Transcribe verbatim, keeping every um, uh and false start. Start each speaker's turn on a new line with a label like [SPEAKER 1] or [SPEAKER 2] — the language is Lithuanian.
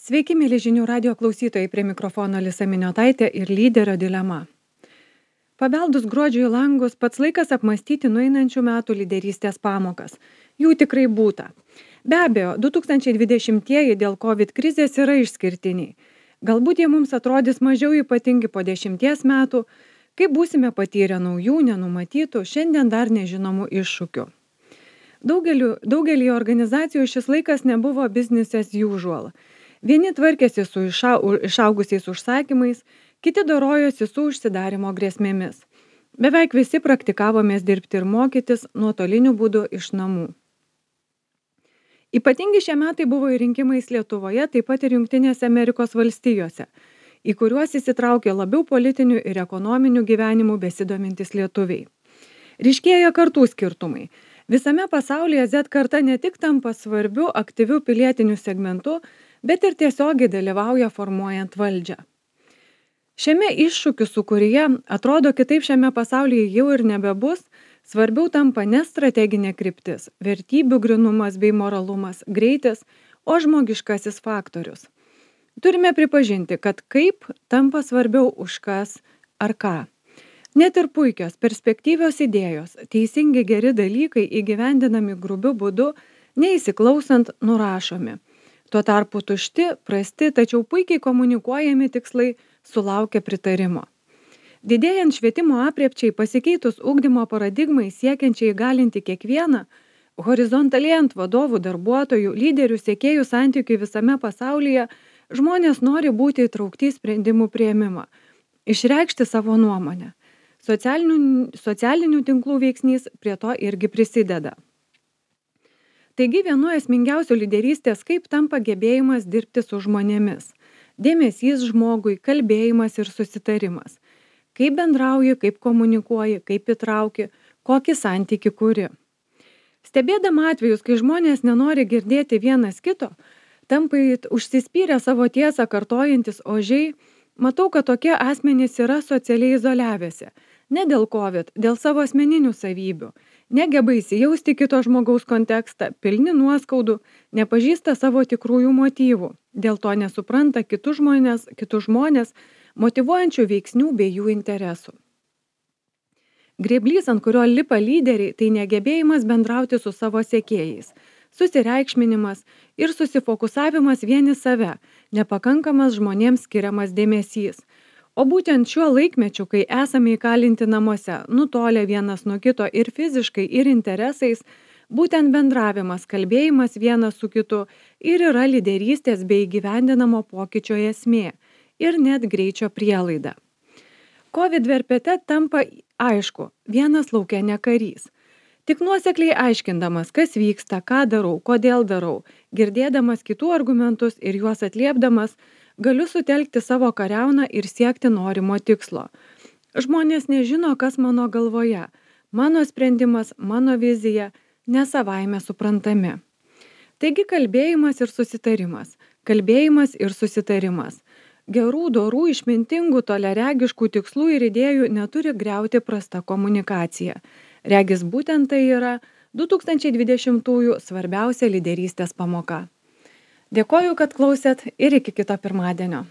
[SPEAKER 1] Sveiki, mėly žinių radio klausytojai, prie mikrofono Lisa Miniotaitė ir lyderio dilema. Pabeldus gruodžio į langus, pats laikas apmastyti nueinančių metų lyderystės pamokas. Jų tikrai būta. Be abejo, du tūkstančiai dvidešimtieji dėl COVID krizės yra išskirtiniai. Galbūt jie mums atrodys mažiau ypatingi po dešimties metų, kai būsime patyrę naujų, nenumatytų, šiandien dar nežinomų iššūkių. Daugeliu, daugelį organizacijų šis laikas nebuvo business as usual. Vieni tvarkėsi su išau, išaugusiais užsakymais, kiti dorojosi su užsidarimo grėsmėmis. Beveik visi praktikavomės dirbti ir mokytis nuotoliniu būdu iš namų. Ypatingi šie metai buvo ir rinkimais Lietuvoje, taip pat ir Jungtinėse Amerikos valstijose, į kuriuos įsitraukė labiau politinių ir ekonominių gyvenimų besidomintys lietuviai. Ryškėja kartų skirtumai. Visame pasaulyje Z karta ne tik tampa svarbiu, aktyviu pilietiniu segmentu, bet ir tiesiogiai dalyvauja formuojant valdžią. Šiame iššūkių sūkuryje, atrodo, kitaip šiame pasaulyje jau ir nebebus, svarbiau tampa ne strateginė kryptis, vertybių grynumas bei moralumas, greitis, o žmogiškasis faktorius. Turime pripažinti, kad kaip tampa svarbiau už kas ar ką. Net ir puikios, perspektyvios idėjos, teisingi geri dalykai įgyvendinami grubiu būdu, neįsiklausant nurašomi. Tuo tarpu tušti, prasti, tačiau puikiai komunikuojami tikslai sulaukia pritarimo. Didėjant švietimo apriepčiai, pasikeitus ugdymo paradigmai siekiančiai įgalinti kiekvieną, horizontalėjant vadovų, darbuotojų, lyderių, siekėjų santykių visame pasaulyje, žmonės nori būti įtraukti į sprendimų priėmimą, išreikšti savo nuomonę. Socialinių, socialinių tinklų veiksnys prie to irgi prisideda. Taigi vienu esmingiausių lyderystės kaip tampa gebėjimas dirbti su žmonėmis. Dėmesys žmogui, kalbėjimas ir susitarimas. Kaip bendrauji, kaip komunikuoji, kaip įtrauki, kokį santykį kuri. Stebėdama atvejus, kai žmonės nenori girdėti vienas kito, tampa užsispyrę savo tiesą kartojantis ožiai, matau, kad tokie asmenys yra socialiai izoliavęsi. Ne dėl COVID, dėl savo asmeninių savybių. Negeba įsijausti kito žmogaus kontekstą, pilni nuoskaudų, nepažįsta savo tikrųjų motyvų. Dėl to nesupranta kitus žmonės, kitus žmonės motyvuojančių veiksnių bei jų interesų. Grėblys, ant kurio lipa lyderiai, tai negebėjimas bendrauti su savo sekėjais, susireikšminimas ir susifokusavimas vieni save, nepakankamas žmonėms skiriamas dėmesys. O būtent šiuo laikmečiu, kai esame įkalinti namuose, nutolę vienas nuo kito ir fiziškai, ir interesais, būtent bendravimas, kalbėjimas vienas su kitu ir yra lyderystės bei įgyvendinamo pokyčio esmė ir net greičio prielaida. COVID verpete tampa aišku, vienas lauke ne karys. Tik nuosekliai aiškindamas, kas vyksta, ką darau, kodėl darau, girdėdamas kitų argumentus ir juos atliepdamas, galiu sutelkti savo kariauną ir siekti norimo tikslo. Žmonės nežino, kas mano galvoje. Mano sprendimas, mano vizija, ne savaime suprantami. Taigi kalbėjimas ir susitarimas. Kalbėjimas ir susitarimas. Gerų, dorų, išmintingų, toleregiškų tikslų ir idėjų neturi griauti prasta komunikacija. Regis būtent tai yra du tūkstančiai dvidešimtųjų svarbiausia lyderystės pamoka. Dėkoju, kad klausėt ir iki kito pirmadienio.